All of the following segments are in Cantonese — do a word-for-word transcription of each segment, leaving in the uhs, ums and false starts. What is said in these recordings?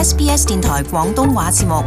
S B S 電台廣東話節目。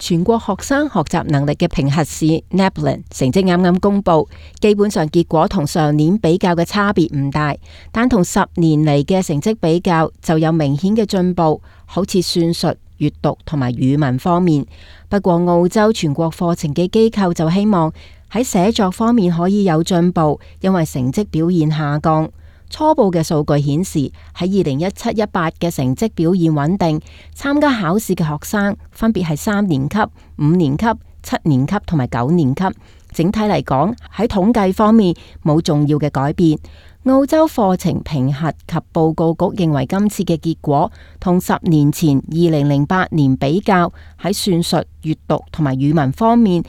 全國學生學習能力嘅評核試 NAPLAN 成績啱啱公布，基本上結果同上年比較嘅差別唔大，但同十年嚟嘅成績比較就有明顯嘅進步，好似算術、閱讀同埋語文方面。不過澳洲全國課程嘅機構就希望喺寫作方面可以有進步，因為成績表現下降。初步嘅數據顯示，喺二零一七一八嘅成績表現穩定，參加考試嘅學生分別係三年級、五年級、七年級同埋九年級。整體嚟講，喺統計方面冇重要嘅改變。澳洲課程評核及報告局認為今次嘅結果同十年前二零零八年比較，喺算術、閱讀同埋語文方面，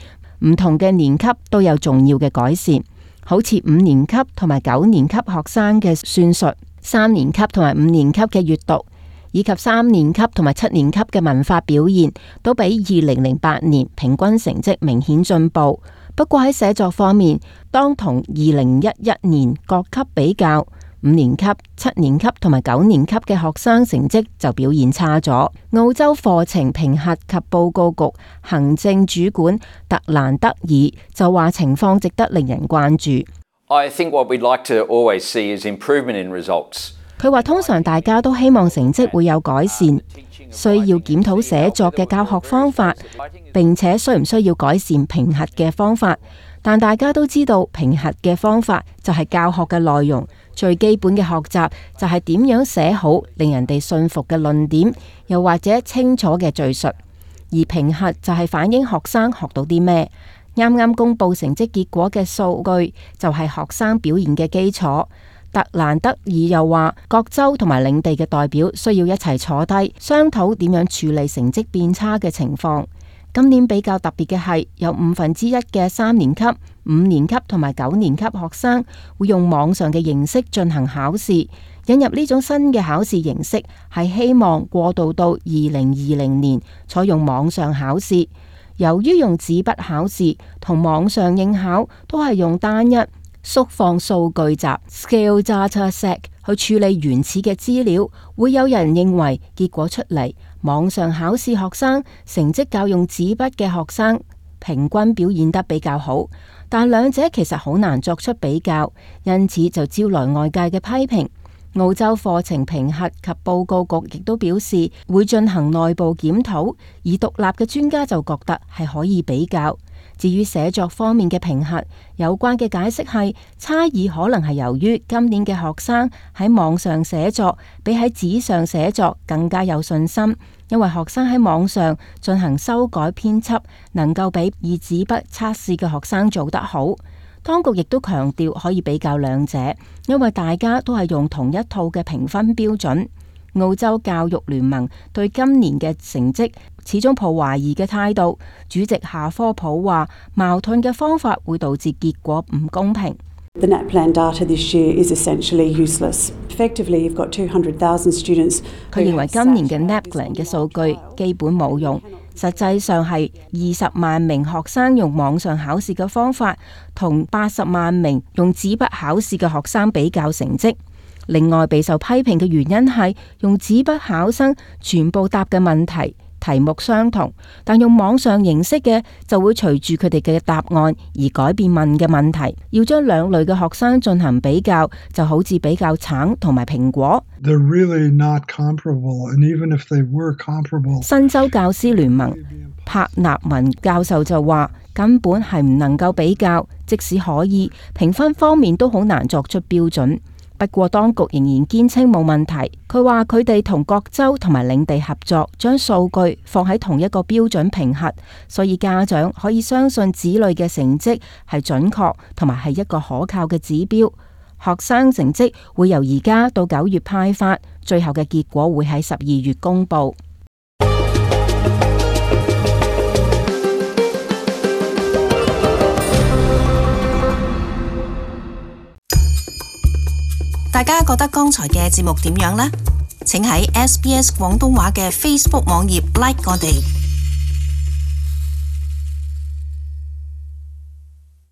唔同嘅年級都有重要嘅改善。好似五年級同埋九年級學生嘅算術，三年級同埋五年級嘅閱讀，以及三年級同埋七年級嘅文法表現，都比二零零八年平均成績明顯進步。不過喺寫作方面，當同二零一一年各級比較，五年級、七年級同埋九年級嘅學生成績就表現差咗。澳洲課程評核及報告局行政主管特蘭德爾就話情況值得令人關注。I think what we'd like to always see is improvement in results. 佢話通常大家都希望成績會有改善，需要檢討寫作嘅教學方法，並且需唔需要改善評核嘅方法。但大家都知道評核嘅方法就係教學嘅內容，最基本嘅學習就係點樣寫好令人哋信服嘅論點，又或者清楚嘅敘述。而評核就係反映學生學到啲咩。啱啱公布成績結果嘅數據就係學生表現嘅基礎。特蘭德爾又話，各州同埋領地嘅代表需要一齊坐低商討點樣處理成績變差嘅情況。今年比較特別嘅係，有五分之一嘅三年級、五年級同埋九年級學生會用網上嘅形式進行考試。引入呢種新嘅考試形式，係希望過渡到二零二零年採用網上考試。由於用紙筆考試同網上應考都係用單一縮放數據集 （scale data set） 去處理原始嘅資料，會有人認為結果出嚟，網上考試學生成績較用紙筆嘅學生平均表現得比較好，但兩者其實好難作出比較，因此就招來外界嘅批評。澳洲課程評核及報告局亦都表示會進行內部檢討，而獨立嘅專家就覺得係可以比較。至於寫作方面嘅評核，有關嘅解釋係差異可能係由於今年嘅學生喺網上寫作比喺紙上寫作更加有信心，因為學生喺網上進行修改編輯，能夠比以紙筆測試嘅學生做得好。當局亦都強調可以比較兩者，因為大家都係用同一套嘅評分標準。澳洲教育聯盟對今年嘅成績始終抱懷疑嘅態度，主席夏科普話矛盾嘅方法會導致結果唔公平。The NAPLAN data this year is essentially useless. Effectively, you've got two hundred thousand students. 佢認為今年嘅 NAPLAN 嘅數據基本冇用，實際上係二十萬名學生用網上考試嘅方法，同八十萬名用紙筆考試嘅學生比較成績。另外，備受批評嘅原因係用紙筆考生全部答嘅問題題目相同，但用網上形式嘅就會隨住佢哋嘅答案而改變問嘅問題。要將兩類嘅學生進行比較，就好似比較橙同埋蘋果。They're really not comparable, and even if they were comparable, 新州教師聯盟柏納文教授就話，根本係唔能夠比較，即使可以，評分方面都好難作出標準。不過當局仍然堅稱冇問題。佢話佢哋同各州同埋領地合作，將數據放喺同一個標準評核，所以家長可以相信子女嘅成績係準確同埋係一個可靠嘅指標。學生成績會由而家到九月派發，最後嘅結果會喺十二月公佈。大家覺得剛才嘅節目點樣呢？請喺 S B S 廣東話嘅 Facebook 網頁 like 我哋。